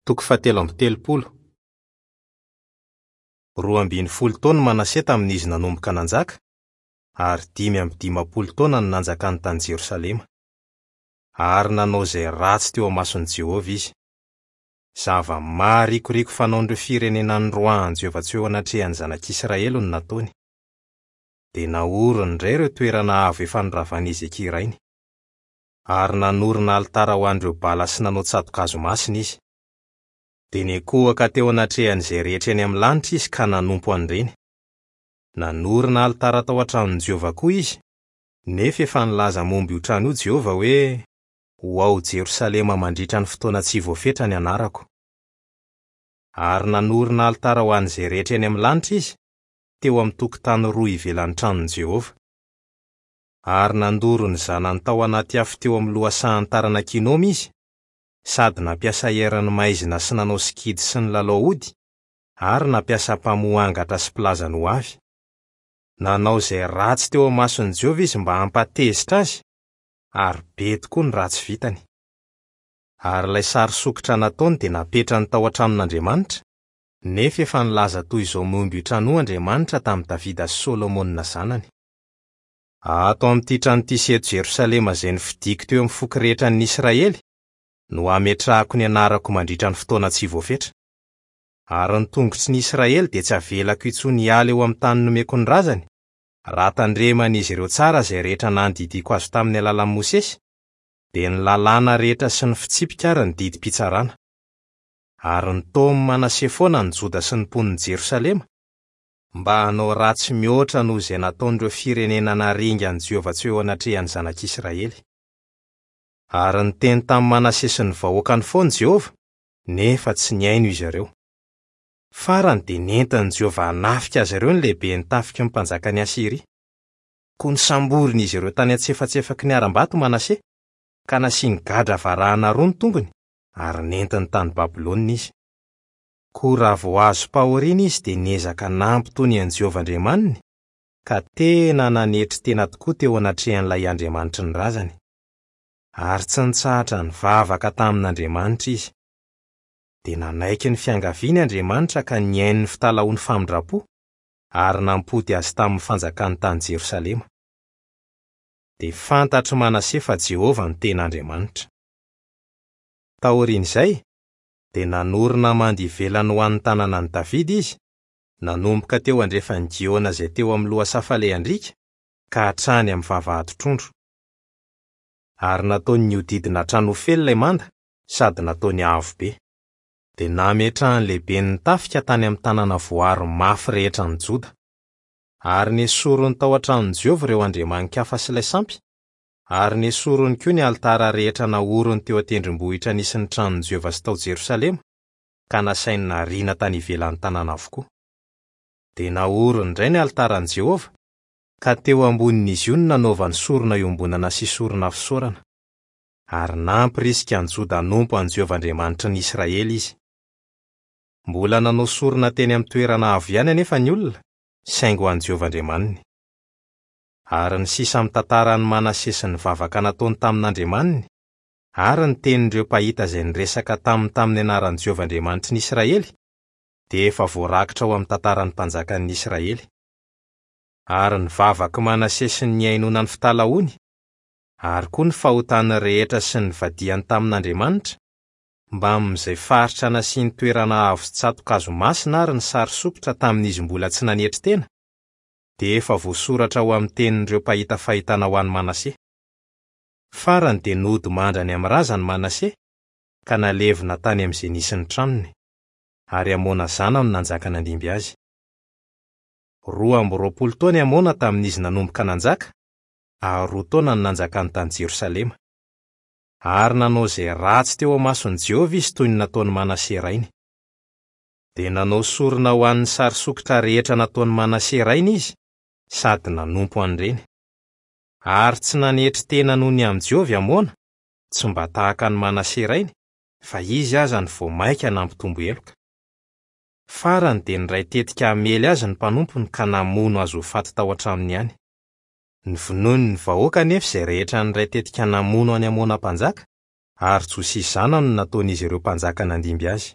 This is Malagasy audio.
Toko fahatelo amby telopolo. 12 taona i Manase tamin'izy nanomboka nanjaka, ary 55 taona no nanjakany tany Jerosalema. Ary nanao izay ratsy teo imason'i Jehovah izy. Zava-maharikoriko fanaon'ireo firenena noroahan'i Jehovah tsy ho eo anatrehan'ny zanak'Israely no nataony. Dia naoriny indray ireo toerana avo efa noravan'i Hezekia rainy. Ary nanorina alitara ho an'ireo Bala sy nanao tsato-kazo masina izy. Dia niankohoka teo anatrehan'izay rehetra eny amin'ny lanitra izy ka nanompo an'ireny. Nanorina alitara tao an-tranon'i Jehovah koa izy, nefa efa nilaza momba io trano io Jehovah hoe, Ho ao Jerosalema mandritra ny fotoana tsy voafetra ny anarako. Ary nanorina alitara ho an'izay rehetra eny amin'ny lanitra izy, teo amin'ny tokotany roa ivelan'ny tranon'i Jehovah. Ary nandoro ny zanany tao anaty afo teo amin'ny lohasahan'ny taranak'i Hinoma izy, sady nampiasa herin'ny maizina sy nanao sikidy sy nilalao ody, ary nampiasa mpamoha angatra sy mpilaza ny hoavy. Nanao izay ratsy teo imason'i Jehovah izy mba hampatezitra azy, ary be tokoa ny ratsy vitany. Ary ilay sary sokitra nataony dia napetrany tao an-tranon'Andriamanitra, nefa efa nilaza toy izao momba io trano io Andriamanitra tamin'i Davida sy Solomona zanany. Ato amin'ity trano ity sy eto Jerosalema izay nofidiko teo amin'ny foko rehetra an'ny Israely no hametrahako ny anarako mandritra ny fotoana tsy voafetra. Ary ny tongotry ny Israely dia tsy havelako intsony hiala eo amin'ny tany nomeko ny razany, raha tandreman'izy ireo tsara izay rehetra nandidiako azy tamin'ny alalan'i Mosesy, dia ny lalàna rehetra sy ny fitsipika ary ny didim-pitsarana. Ary nitaomin'i Manase foana ny Joda sy ny mponin'i Jerosalema, mba hanao ratsy mihoatra noho izay nataon'ireo firenena naringan'i Jehovah tsy ho eo anatrehan'ny zanak'Israely. Ary niteny tamin'i Manase sy ny vahoakany foana Jehovah, nefa tsy nihaino izy ireo. Farany dia nentin'i Jehovah hanafika azy ireo ny lehiben'ny tafiky ny mpanjakan'i Asyria. Koa nosamborin'izy ireo tany an-tsefatsefaky ny harambato Manase, ka nasiany gadra varahana roa ny tongony, ary nentiny tany Babylona izy. Koa raha vao azom-pahoriana izy dia niezaka nampitony an'i Jehovah Andriamaniny, ka tena nanetry tena tokoa teo anatrehan'ilay Andriamanitry ny razany. Ary tsy nitsahatra nivavaka tamin'Andriamanitra izy. Dia nanaiky ny fiangaviany Andriamanitra ka nihaino ny fitalahoany famindram-po, ary nampody azy tamin'ny fanjakany tany Jerosalema. Dia fantatr'i Manase fa Jehovah no tena Andriamanitra. Taorian'izay, dia nanorina manda ivelany ho an'ny tanànan'i Davida izy, nanomboka teo andrefan'i Gihona izay teo amin'ny lohasaha falehan-driaka, ka hatrany amin'ny vavahadin-trondro. Ary nataony nihodidina hatrany Ofela ilay manda, sady nataony avo be. Dia nametrahany lehiben'ny tafika tany amin'ny tanàna voaro mafy rehetra an'i Joda. Ary nesoriny tao an-tranon'i Jehovah ireo andriamani-kafa sy ilay sampy, ary nesoriny koa ny alitara rehetra naoriny teo an-tendrombohitra nisy ny tranon'i Jehovah sy tao Jerosalema, ka nasainy nariana tany ivelan'ny tanàna avokoa. Dia naoriny indray ny alitaran'i Jehovah, ka teo ambonin'izy io no nanaovany sorona iombonana sy sorona fisaorana. Ary nampirisika an'i Joda hanompo an'i Jehovah Andriamanitry ny Israely izy. Mbola nanao sorona teny amin'ny toerana avo ihany anefa ny olona, saingy ho an'i Jehovah Andriamaniny. Ary ny sisa amin'ny tantaran'i Manase sy ny vavaka nataony tamin'Andriamaniny, ary ny tenin'ireo mpahita izay niresaka taminy tamin'ny anaran'i Jehovah Andriamanitry ny Israely, dia efa voarakitra ao amin'ny tantaran'ny mpanjakan'ny Israely. Ary ny vavak'i Manase sy ny nihainoana ny fitalahoany, ary koa ny fahotany rehetra sy ny nivadihany tamin'Andriamanitra, mbamin'izay faritra nasiany toerana avo sy tsato-kazo masina ary ny sary sokitra tamin'izy mbola tsy nanetry tena, dia efa voasoratra ao amin'ny tenin'ireo mpahita fahitana ho an'i Manase. Farany dia nody mandry any amin'ny razany Manase, ka nalevina tany amin'izay nisy ny tranony. Ary Amona zanany no nanjaka nandimby azy. 22 taona i Amona tamin'izy nanomboka nanjaka, ary roa taona no nanjakany tany Jerosalema. Ary nanao izay ratsy teo imason'i Jehovah izy toy ny nataon'i Manase rainy. Dia nanao sorona ho an'ny sary sokitra rehetra nataon'i Manase rainy izy, sady nanompo an'ireny. Ary tsy nanetry tena noho ny amin'i Jehovah i Amona, tsy mba tahaka an'i Manase rainy, fa izy aza no vao mainka nampitombo heloka. Farany dia niray tetika hamely azy ny mpanompony ka namono azy ho faty tao an-tranony ihany. Novonoin'ny vahoaka anefa izay rehetra niray tetika namono an'i Amona mpanjaka, ary Josia zanany no nataon'izy ireo mpanjaka nandimby azy.